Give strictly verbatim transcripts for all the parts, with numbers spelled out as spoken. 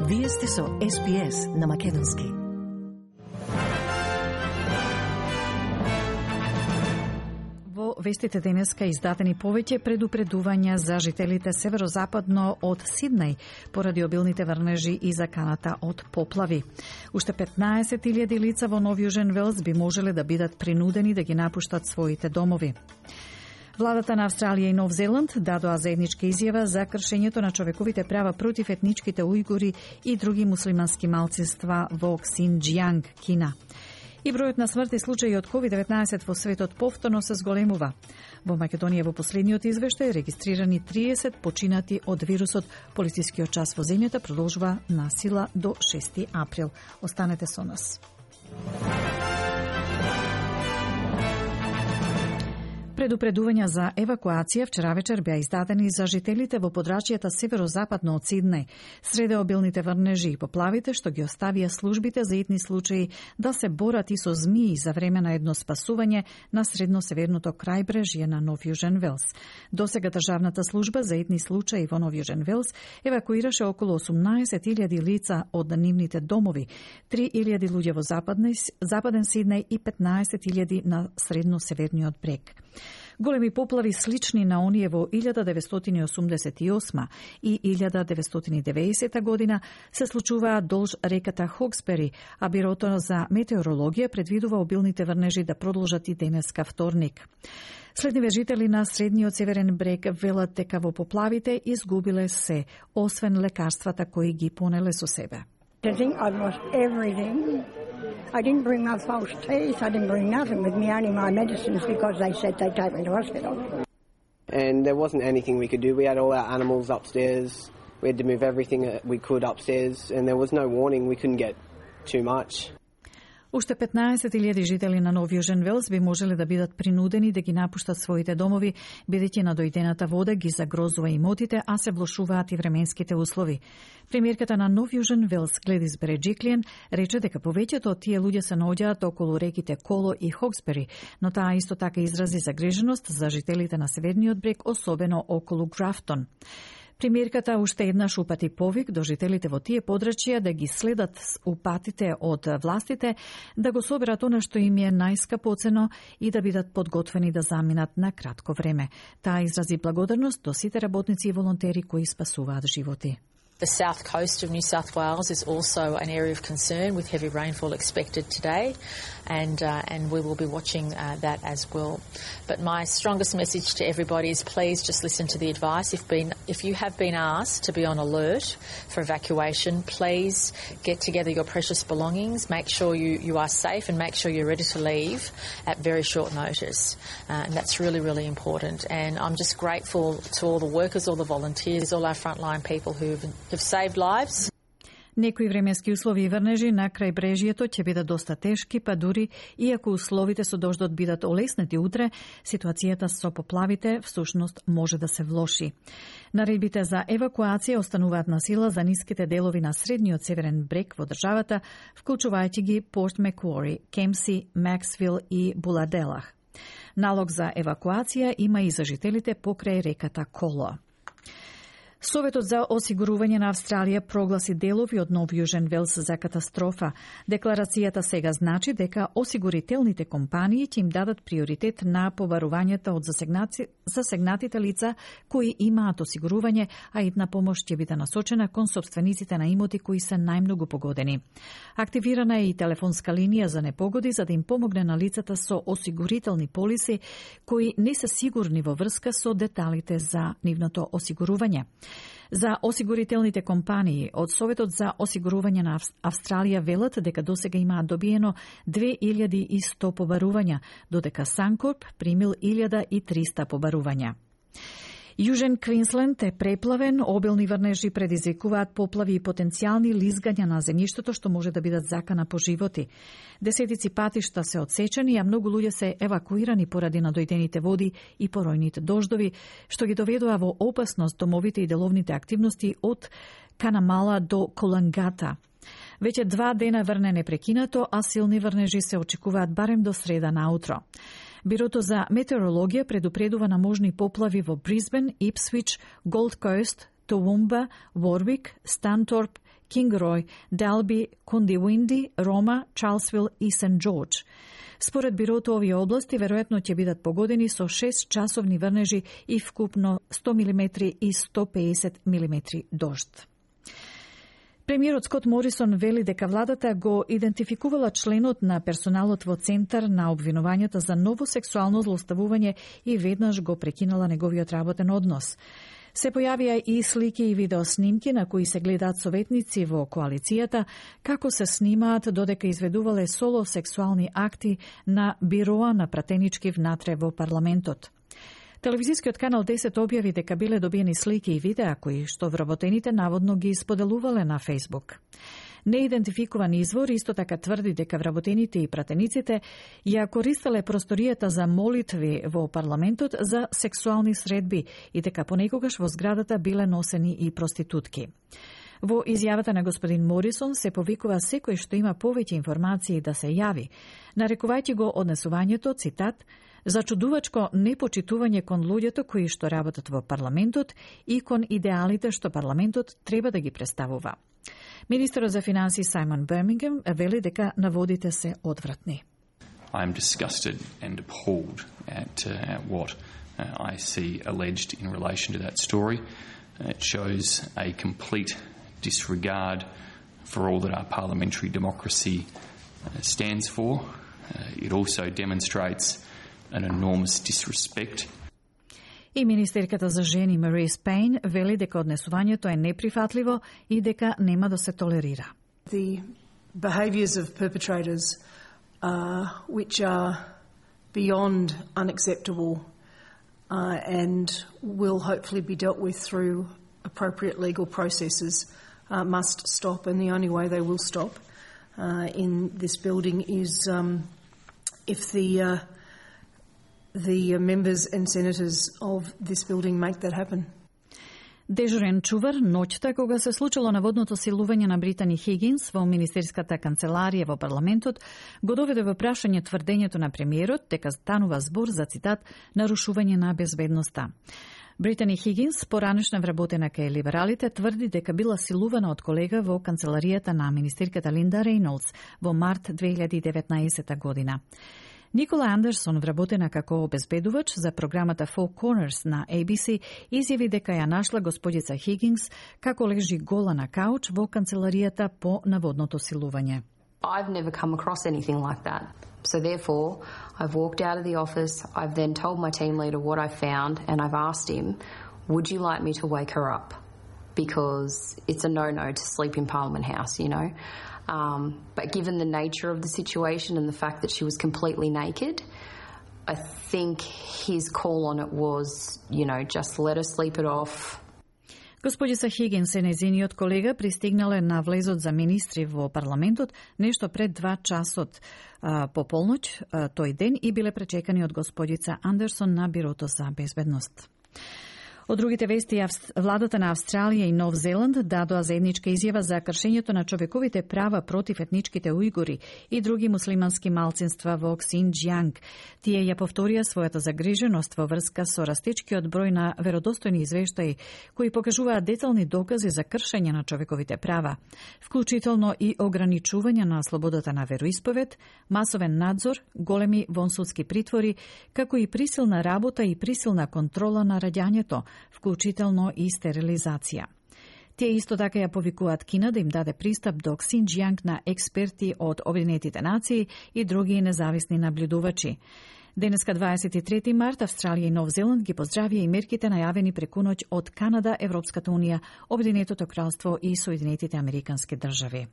Вие сте со Ес Би Ес на Македонски. Во вестите денеска издадени повеќе предупредувања за жителите северозападно од Сиднеј поради обилните врнежи и заканата од поплави. Уште петнаесет илјади лица во Нов Јужен Велс би можеле да бидат принудени да ги напуштат своите домови. Владата на Австралија и Нов Зеланд дадоа заедничка изјава за кршењето на човековите права против етничките ујгури и други муслимански малцинства во Ксинџијанг, Кина. И бројот на смртни случаи од ковид деветнаесет во светот повторно се зголемува. Во Македонија во последниот извештај регистрирани триесет починати од вирусот. Полицискиот час во земјата продолжува на сила до шести април. Останете со нас. Предупредувања за евакуација вчера вечер беа издадени за жителите во подрачјата северозападно од Сиднеј. Среде обилните врнежи и поплавите што ги оставија службите за итни случаи да се борат и со змии за време на едно спасување на средно-северното крајбрежје на Нов Јужен Велс. Досега државната служба за итни случаи во Нов Јужен Велс евакуираше околу осумнаесет илјади лица од нивните домови, три илјади луѓе во западен Сиднеј и петнаесет илјади на средно-северниот брег. Големи поплави слични на оние во илјада деветстотини осумдесет и осма и илјада деветстотини девеесета година се случуваат долж реката Хоксбери, а Бирото за метеорологија предвидува обилните врнежи да продолжат и денеска вторник. Следниве жители на средниот северен брег велат дека во поплавите изгубиле се, освен лекарствата кои ги понеле со себе. I think I've lost everything. I didn't bring my false teeth. I didn't bring nothing with me, only my medicines because they said they'd take me to hospital. And there wasn't anything we could do. We had all our animals upstairs. We had to move everything we could upstairs, and there was no warning. We couldn't get too much. Уште петнаесет илјади жители на Нов Јужен Велс би можеле да бидат принудени да ги напуштат своите домови, бидејќи надојдената вода ги загрозува имотите, а се влошуваат и временските услови. Премиерката на Нов Јужен Велс, Гледис Береджиклиен, рече дека повеќето од тие луѓе се наоѓаат околу реките Коло и Хоксбери, но таа исто така изрази загриженост за жителите на северниот брег, особено околу Графтон. Премиерката уште еднаш упати повик до жителите во тие подрачја да ги следат упатите од властите, да го соберат она што им е најскапоцено и да бидат подготвени да заминат на кратко време. Таа изрази благодарност до сите работници и волонтери кои спасуваат животи. The south coast of New South Wales is also an area of concern with heavy rainfall expected today, and uh, and we will be watching uh, that as well. But my strongest message to everybody is please just listen to the advice. If been if you have been asked to be on alert for evacuation, please get together your precious belongings, make sure you, you are safe and make sure you're ready to leave at very short notice. Uh, and that's really, really important. And I'm just grateful to all the workers, all the volunteers, all our frontline people who have have saved lives. Некои временски услови и врнежи на крајбрежјето ќе бидат доста тешки, па дури иако условите со дождот бидат олеснети утре, ситуацијата со поплавите всушност може да се влоши. Наредбите за евакуација остануваат на сила за ниските делови на средниот северен брег во државата, вклучувајќи ги Порт Маквари, Кемси, Максвил и Буладелах. Налог за евакуација има и за жителите покрај реката Коло. Советот за осигурување на Австралија прогласи делови од Нов Јужен Велс за катастрофа. Декларацијата сега значи дека осигурителните компании ќе им дадат приоритет на побарувањата од засегнати, засегнатите лица кои имаат осигурување, а идна помош ќе биде насочена кон сопствениците на имоти кои се најмногу погодени. Активирана е и телефонска линија за непогоди за да им помогне на лицата со осигурителни полиси кои не се сигурни во врска со деталите за нивното осигурување. За осигурителните компании од Советот за осигурување на Австралија велат дека досега имаат добиено две илјади и сто побарувања, додека Санкорп примил илјада и триста побарувања. Јужен Квинсленд е преплавен, обилни врнежи предизвикуваат поплави и потенцијални лизгања на земјиштето што може да бидат закана по животи. Десетици патишта се одсечени, а многу луѓе се евакуирани поради надојдените води и поројните дождови, што ги доведува во опасност домовите и деловните активности од Канамала до Колангата. Веќе два дена врне непрекинато, а силни врнежи се очекуваат барем до среда наутро. Бирото за метеорологија предупредува на можни поплави во Брисбен, Ипсвич, Голд Кост, Toowoomba, Warwick, Stanthorpe, Kingroy, Dalby, Goondiwindi, Roma, Charlesville и Сент Джордж. Според бирото, овие области веројатно ќе бидат погодени со шест часовни врнежи и вкупно сто милиметри и сто пеесет милиметри дожд. Премиерот Скот Морисон вели дека владата го идентификувала членот на персоналот во центар на обвинувањата за ново сексуално злоставување и веднаш го прекинала неговиот работен однос. Се појавија и слики и видеоснимки на кои се гледаат советници во коалицијата како се снимаат додека изведувале соло сексуални акти на бироа на пратенички внатре во парламентот. Телевизискиот канал десет објави дека биле добиени слики и видеа кои што вработените наводно ги споделувале на Facebook. Неидентификуван извор исто така тврди дека вработените и пратениците ја користеле просторијата за молитви во парламентот за сексуални средби и дека понекогаш во зградата биле носени и проститутки. Во изјавата на господин Морисон се повикува секој што има повеќе информации да се јави, нарекувајќи го однесувањето, цитат, зачудувачко непочитување кон луѓето кои што работат во парламентот и кон идеалите што парламентот треба да ги представува. Министерот за финансии Саймон Бирмингем вели дека наводите се одвратни. I am disgusted and appalled at, uh, at what uh, I see alleged in relation to that story. Uh, it shows a complete disregard for all that our parliamentary democracy uh, stands for. Uh, it also demonstrates an enormous disrespect. И министерката за жени Марис Пейн вели дека однесувањето е неприфатливо и дека нема да се толерира. The behaviours of perpetrators uh, which are beyond unacceptable uh, and will hopefully be dealt with through appropriate legal processes uh, must stop, and the only way they will stop uh, in this building is um, if the uh, the members and senators of this building make that happen. Дежурен чувар ноќта кога се случило наводното силување на Британи Хигинс во министерската канцеларија во парламентот, го доведе во прашање тврдењето на премиерот дека станува збор за, цитат, нарушување на безбедноста. Британи Хигинс, поранешна вработена кај либералите, тврди дека била силувана од колега во канцеларијата на министерката Линда Рейнолдс во март две илјади и деветнаесетта година. Никола Андерсон, вработена како обезбедувач за програмата Four Corners на A B C, изјави дека ја нашла господица Хигинс како лежи гола на кауч во канцеларијата по наводното силување. I've never come across anything like that. So therefore, I've walked out of the office, I've then told my team leader what I found, and I've asked him, would you like me to wake her up? Because it's a no-no to sleep in Parliament House, you know. Um, but given the nature of the situation and the fact that she was completely naked, I think his call on it was, you know, just let her sleep it off. Господица Хигинс и нејзиниот колега пристигнале на влезот за министри во парламентот нешто пред два часот а, по полноќ а, тој ден и биле пречекани од господица Андерсон на бирото за безбедност. Од другите вести, владата на Австралија и Нов Зеланд дадоа заедничка изјава за кршењето на човековите права против етничките ујгури и други муслимански малцинства во Ксинџјанг. Тие ја повторија својата загриженост во врска со растечкиот број на веродостојни извештаи кои покажуваат детални докази за кршење на човековите права, вклучително и ограничување на слободата на вероисповед, масовен надзор, големи вонсудски притвори, како и присилна работа и присилна контрола на раѓањето, вклучително и стерилизација. Тие исто така ја повикуваат Кина да им даде пристап до Ксинџјанг на експерти од Обединетите нации и други независни наблюдувачи. Денеска дваесет и трети март Австралија и Нов Зеланд ги поздравија и мерките најавени преку ноќ од Канада, Европската унија, Обединетото кралство и Соединетите американски држави.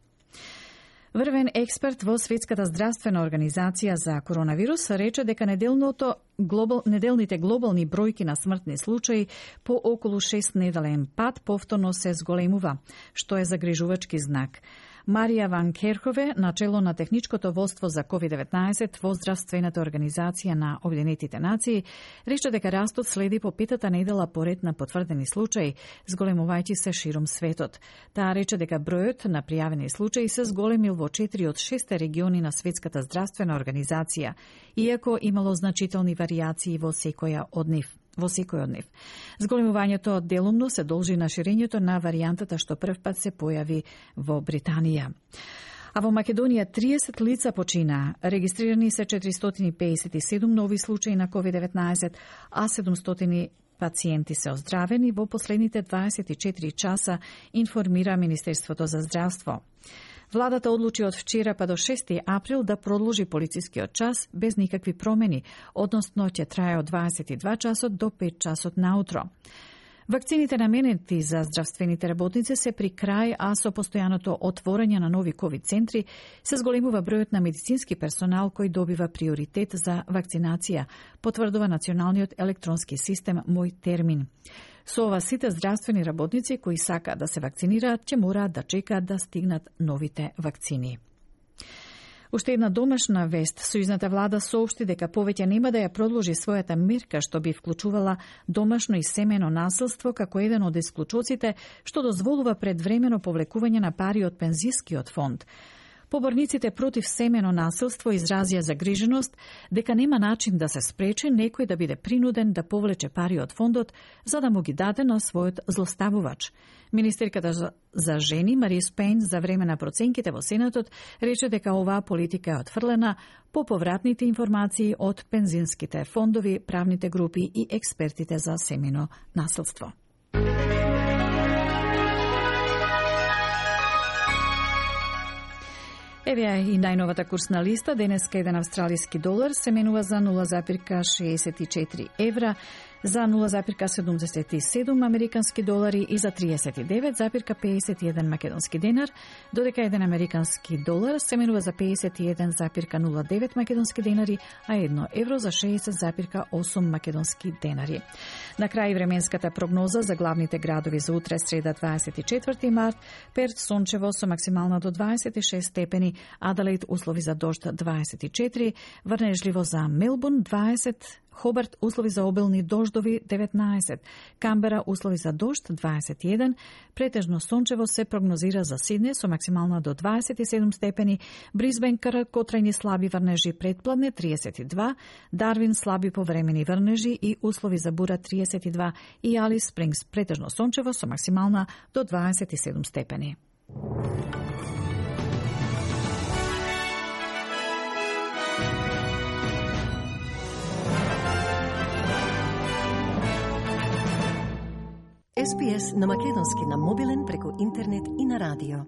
Врвен експерт во Светската здравствена организација за коронавирус рече дека неделното глобал, неделните глобални бројки на смртни случаи по околу шест неделен пат повторно се зголемува, што е загрижувачки знак. Марија Ван Керхове, начело на техничкото водство за ковид деветнаесет во Здравствената организација на Обединетите нации, рече дека растот следи по петата недела поред на потврдени случаи, зголемувајќи се широм светот. Таа рече дека бројот на пријавени случаи се зголемил во четири од шесте региони на Светската здравствена организација, иако имало значителни варијации во секоја од нив. во секој од нив. Зголемувањето делумно се должи на ширењето на варијантата што прв пат се појави во Британија. А во Македонија триесет лица починаа. Регистрирани се четиристотини и пеесет и седум нови случаи на ковид деветнаесет, а седумстотини пациенти се оздравени во последните дваесет и четири часа, информира Министерството за здравство. Владата одлучи од вчера па до шести април да продолжи полицискиот час без никакви промени, односно ќе трае од дваесет и два часот до пет часот наутро. Вакцините наменети за здравствените работници се при крај, а со постојаното отворање на нови ковид центри се зголемува бројот на медицински персонал кој добива приоритет за вакцинација, потврдува националниот електронски систем Мој термин. Со ова сите здравствени работници кои сакаат да се вакцинираат ќе мораат да чекаат да стигнат новите вакцини. Уште една домашна вест. Сојузната влада соопшти дека повеќе нема да ја продолжи својата мерка што би вклучувала домашно и семено насилство како еден од исклучоците што дозволува предвремено повлекување на пари од пензискиот фонд. Поборниците против семено насилство изразија загриженост дека нема начин да се спречи некој да биде принуден да повлече пари од фондот за да му ги даде на својот злоставувач. Министерката за жени Марис Пейн за време на проценките во Сенатот рече дека оваа политика е отфрлена по повратните информации од пензинските фондови, правните групи и експертите за семено насилство. Еве и најновата курсна листа. Денеска еден австралиски долар се менува за нула запирка шеесет и четири евра, за нула запирка седумдесет и седум американски долари и за триесет и девет запирка пеесет и еден македонски денар, додека еден американски долар се менува за пеесет и еден запирка нула девет македонски денари, а едно евро за шеесет запирка осум македонски денари. На крај временската прогноза за главните градови за утре, среда дваесет и четврти март, Перт сончево со максимална до дваесет и шест степени, Аделаид услови за дожд дваесет и четири, врнежливо за Мелбурн дваесет, Хобарт услови за обилни дождови деветнаесет, Камбера услови за дожд дваесет и еден, претежно сончево се прогнозира за Сиднеј со максимална до дваесет и седум степени, Брисбен краткотрајни слаби врнежи предпладне триесет и два, Дарвин слаби повремени врнежи и услови за бура триесет и два и Алис Спрингс претежно сончево со максимална до дваесет и седум степени. Ес Би Ес на македонски на мобилен преку интернет и на радио.